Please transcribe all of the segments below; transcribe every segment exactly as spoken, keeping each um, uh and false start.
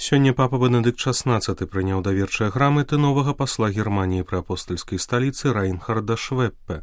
Сёння папа Бенедыкт шаснаццаты прыняў даверчыя граматы новага пасла Германіі пры апостальскай сталіцы Райнхарда Швеппе.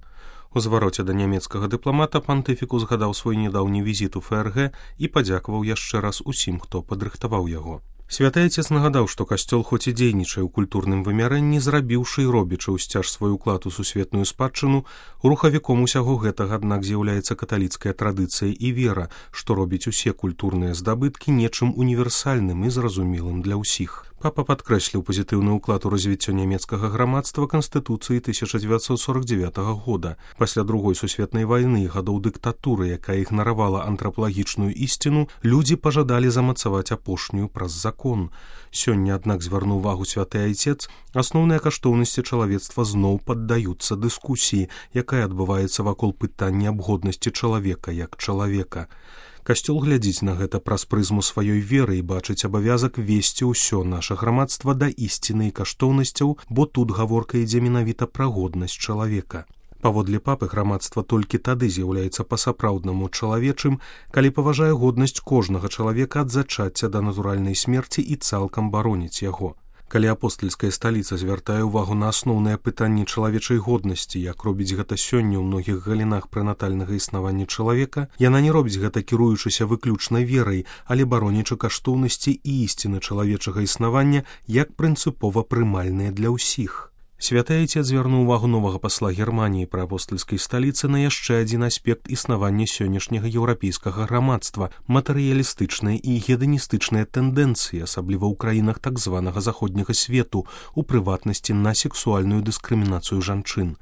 У звароце да нямецкага дыпламата пантыфік узгадаў свой нядаўні візіт у ФРГ і падзякаваў яшчэ раз усім, хто падрыхтаваў яго. Святы Айцец нагадаў, што касцёл хоць і дзейнічае ў культурным вымярэнні, зрабіўшы і робячы ўсцяж свой уклад у сусветную спадчыну, рухавіком усяго гэтага, аднак, з'яўляецца каталіцкая традыцыя і вера, што робіць усе культурныя здабыткі нечым універсальным і зразумелым для ўсіх. Папа падкрэсліў пазітыўны ўклад у развіццё нямецкага грамадства Канстытуцыі тысяча дзевяцьсот сорок дзевятага года. Пасля другой сусветнай вайны і гадоў дыктатуры, якая ігнаравала антрапалагічную ісціну, людзі пажадалі замацаваць апошнюю праз закон. Сёння, аднак, звярнуў увагу святы Айцец, асноўныя каштоўнасці чалавецтва зноў паддаюцца дыскусіі, якая адбываецца вакол пытання аб годнасці чалавека як чалавека. Касцёл глядзіць на гэта праз прызму сваёй веры і бачыць абавязак весці ўсё наша грамадства да ісціны і каштоўнасцяў, бо тут гаворка ідзе менавіта пра годнасць чалавека. Паводле папы, грамадства толькі тады з'яўляецца па-сапраўднаму чалавечым, калі паважае годнасць кожнага чалавека ад зачацця да натуральнай смерці і цалкам бароніць яго. Калі апостальская сталіца звяртае ўвагу на асноўныя пытанні чалавечай годнасці, як робіць гэта сёння ў многіх галінах прэнатальнага існавання чалавека, яна не робіць гэта кіруючыся выключна верай, але баронячы каштоўнасці і ісціны чалавечага існавання як прынцыпова прымальныя для ўсіх. Святы Айцец звярнуў увагу новага пасла Германіі пры апостальскай сталіцы на яшчэ адзін аспект існавання сённяшняга еўрапейскага грамадства – матэрыялістычныя і геданістычныя тэндэнцыі, асабліва ў краінах так званага заходняга свету, у прыватнасці на сексуальную дыскрымінацыю жанчын.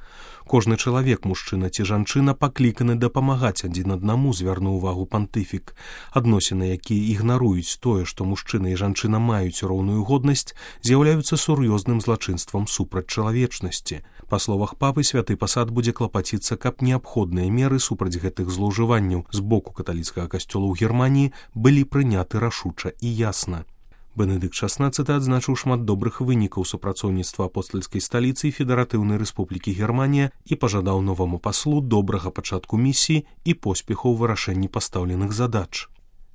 Кожны чалавек, мужчына ці жанчына, пакліканы дапамагаць адзін аднаму, звярнуў увагу пантыфік. Адносіны, якія ігнаруюць тое, што мужчына і жанчына маюць роўную годнасць, з'яўляюцца сур'ёзным злачынствам супраць чалавечнасці. Па словах папы, святы пасад будзе клапаціцца, каб неабходныя меры супраць гэтых злоўжыванняў з боку каталіцкага касцёла ў Германіі былі прыняты рашуча і ясна. Бенедыкт шаснаццаты адзначыў шмат добрых вынікаў супрацоўніцтва апостальскай сталіцы і федэратыўнай рэспублікі Германія і пажадаў новаму паслу добрага пачатку місіі і поспеху ў вырашэнні пастаўленых задач.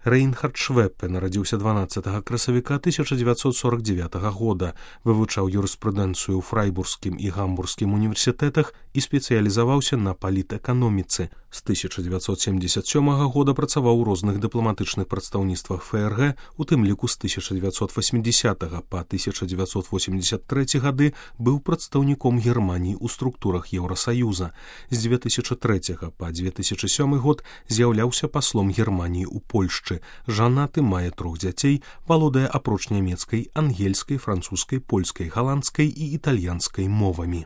Райнхард Швеппе нарадзіўся дванаццатага красавіка тысяча дзевяцьсот сорок дзевятага года, вывучаў юрыспрудэнцыю ў фрайбургскім і гамбургскім універсітэтах і спецыялізаваўся на палітэканоміцы. З тысяча дзевяцьсот семдзесят сёмага года працаваў у розных дыпламатычных прадстаўніцтвах ФРГ, у тым ліку з тысяча дзевяцьсот васьмідзесятага па тысяча дзевяцьсот восемьдесят трэці гады быў прадстаўніком Германіі ў структурах Еўрасаюза. З дзве тысячы трэцяга па дзве тысячы сёмы год з'яўляўся паслом Германіі ў Польшчы. Жанаты, мае трох дзяцей, валодае апроч нямецкай, ангельскай, французскай, польскай, галандскай і італьянскай мовамі.